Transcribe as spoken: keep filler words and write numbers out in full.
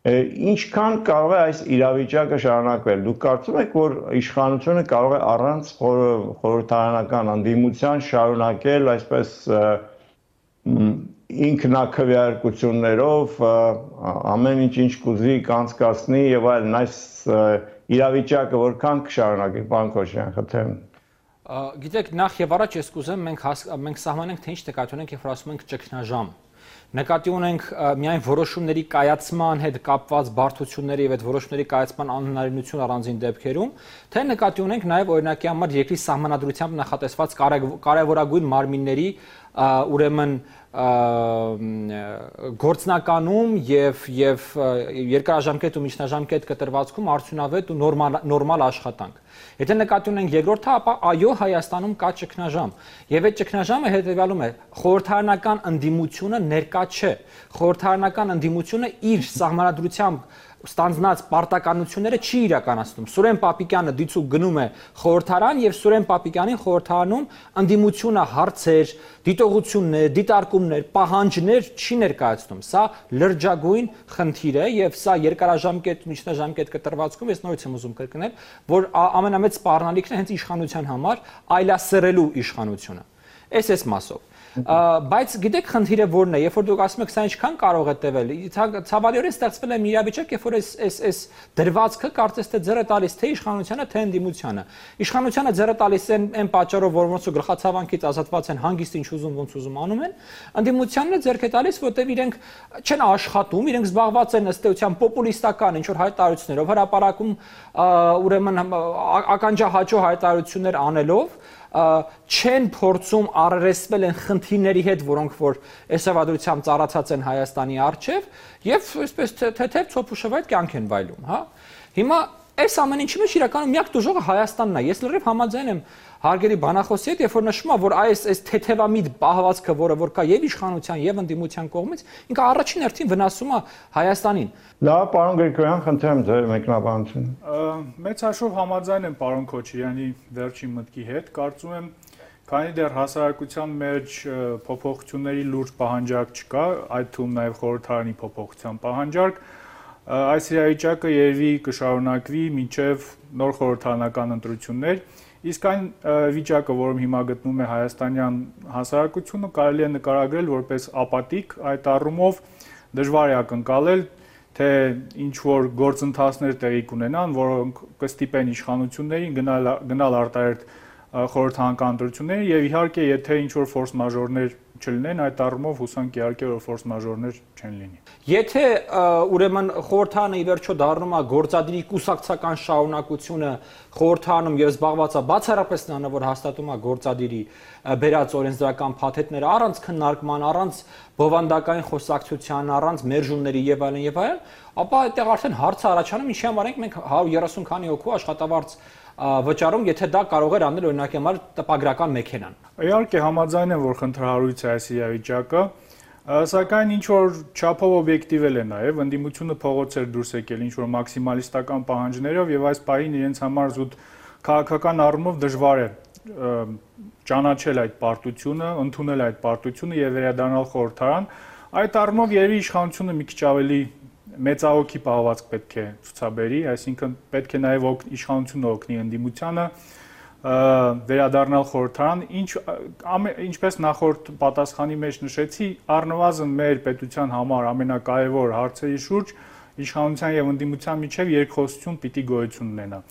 Ինչքան կարող է այս իրավիճակը շարունակվել։ Դուք կարծում եք, որ իշխանությունը կարող է առանց խորհրդարանական ընդդիմության շարունակել այսպես ինքնակվեարկություններով ամեն ինչ ինչ կուզի կանցկացնի եւ այլն, այս իրավիճակը որքան կշարունակի, պարոն Քոչարյան, խնդրեմ։ Գիտեք, նախ եւ առաջ ես կուզեմ մենք մենք սահմանենք թե ինչ նկատի ունենք, երբ ասում ենք ճգնաժամ։ Նկատի ունենք միայն որոշումների կայացման հետ կապված բարդությունների եւ այդ որոշումների կայացման անհնարինություն առանձին դեպքերում, թե նկատի ունենք նաեւ օրինակի համար երկրի սահմանադրությամբ նախատեսված կարևորագույն մարմինների ուրեմն գործնականում եւ եւ երկարաժամկետ ու միջնաժամկետ կտրվածքում արդյունավետ ու նորմալ նորմալ աշխատանք։ Եթե նկատի ունենք երկրորդը, ապա այո, Հայաստանում կա ճգնաժամ։ Եվ այդ ճգնաժամը հետեւյալում է. խորհրդարանական ընդդիմությունը ներկա չէ։ Խորհրդարանական ընդդիմությունը իր սահմանադրությամբ ստանձնած պարտականությունները չի իրականացնում։ Սուրեն Պապիկյանը դիցուկ գնում է խորհրդարան եւ Սուրեն Պապիկյանին խորհրդարանում ընդդիմությունը հարցեր, դիտողություններ, դիտարկումներ, պահանջներ չի ներկայացնում։ Սա լրջագույն խնդիր է եւ սա երկարաժամկետ, միջնաժամկետ կտրվածքում ես նորից եմ ուզում կրկնել, որ ամենամեծ սպառնալիքն է հենց իշխանության համար այլասերելու իշխանությունը։ Այս էս մասով։ Բայց գիտեք խնդիրը որն է, երբ որ դուք ասում եք սա ինչքան կարող է տևել, ցավալիորեն ստեղծվել է մի իրավիճակ, երբ որ այս այս այս դրվածքը կարծես թե ձեռը տալիս թե իշխանությանը, թե ընդդիմությանը։ Իշխանությանը ձեռը տալիս են այն պատճառով, որ ոնց ու գլխացավանքից ազատված են, հանգիստ ինչ ուզում, ոնց ուզում անում են, ընդդիմությանն է ձեռք է տալիս, որտեղ իրենք չեն աշխատում, իրենք զբաղված են ըստ էության պոպուլիստական ինչ որ հայտարարություններով, հրապարակում ուրեմն ականջահաճո հայտարարություններ անելով չեն փորձում առերեսվել են խնդիրների հետ, որոնք որ էսավադրությամբ ծառացած են Հայաստանի առջև եւ այսպես թեթև ցոփուշավայր կյանք են վայելում, հա։ Հիմա այս ամեն ինչի մեջ իրականում միակ դժողը Հայաստանն է։ Ես լրիվ համաձայն եմ հարգելի բանախոսի հետ, երբ որ նշում է, որ այս այս թեթևամիտ պահվածքը, որը որ կա եւ իշխանության եւ ընդդիմության կողմից, ինքը առաջին հերթին վնասում է Հայաստանին։ Լավ, պարոն Գրիգորյան, խնդրեմ ձեր մեկնաբանությունը։ Մեծ հաշվով համաձայն եմ պարոն Քոչարյանի վերջին մտքի հետ, կարծում եմ, քանի դեռ հասարակության մեջ փոփոխությունների լուրջ պահանջարկ չկա, այդ թվում նաեւ խորհրդարանի փոփոխության պահանջարկ, այս իրավիճակը երևի կշարունակվի մինչև նոր խորհրդարանական ընտրություններ, իսկ այն վիճակը, որում հիմա գտնվում է հայաստանյան հասարակությունը, կարելի է նկարագրել որպես ապատիկ, այդ առումով դժվար է ակնկալել, թե ինչ որ գործընթացներ տեղի կունենան, որոնք կստիպեն իշխանություններին գնալ գնալ արտահերթ խորհրդարանական ընտրությունների եւ իհարկե եթե ինչ որ ֆորս մաժորներ չլինեն, այդ առումով հուսանք իհարկե որ ֆորս մաժորներ չեն լինի։ Եթե ուրեմն խորհրդարանը ի վերջո դառնում է գործադիրի կուսակցական շարունակությունը խորհրդարանում եւ զբաղված է բացառապես նրանով, որ հաստատում է գործադիրի բերած օրենսդրական փաթեթները առանց քննարկման, առանց բովանդակային խոսակցության, առանց մերժումների եւ այլն եւ այլն, ապա այդտեղ արդեն հարցը առաջանում, ինչի համար ենք մենք հարյուր երեսուն քանի հոգու աշխատավարձ վճարում, եթե դա կարող էր անել օրինակի համար տպագրական մեքենան։ Իհարկե համաձայն եմ, որ խնդրահարույց է այս իրավիճակը, սակայն ինչ որ չափով օբյեկտիվել է նաև, ընդդիմությունը փողոցեր դուրս եկել ինչ որ մաքսիմալիստական պահանջներով եւ այս պահին իրենց համար զուտ քաղաքական առումով դժվար է ճանաչել այդ պարտությունը, ընդունել այդ պարտությունը եւ վերադառնալ խորհրդարան։ Այդ առումով երևի իշխանությունը մի քիչ ավելի մեծահոգի պահվածք պետք է ցուցաբերի, այսինքն պետք է նաև իշխանությունը օգնի ընդդիմությանը վերադառնալ խորհրդարան, ինչ ինչպես նախորդ պատասխանի մեջ նշեցի, առնվազն մեր պետության համար ամենակարևոր հարցերի շուրջ իշխանության եւ ընդդիմության միջև երկխոսություն պիտի գոյություն ունենա։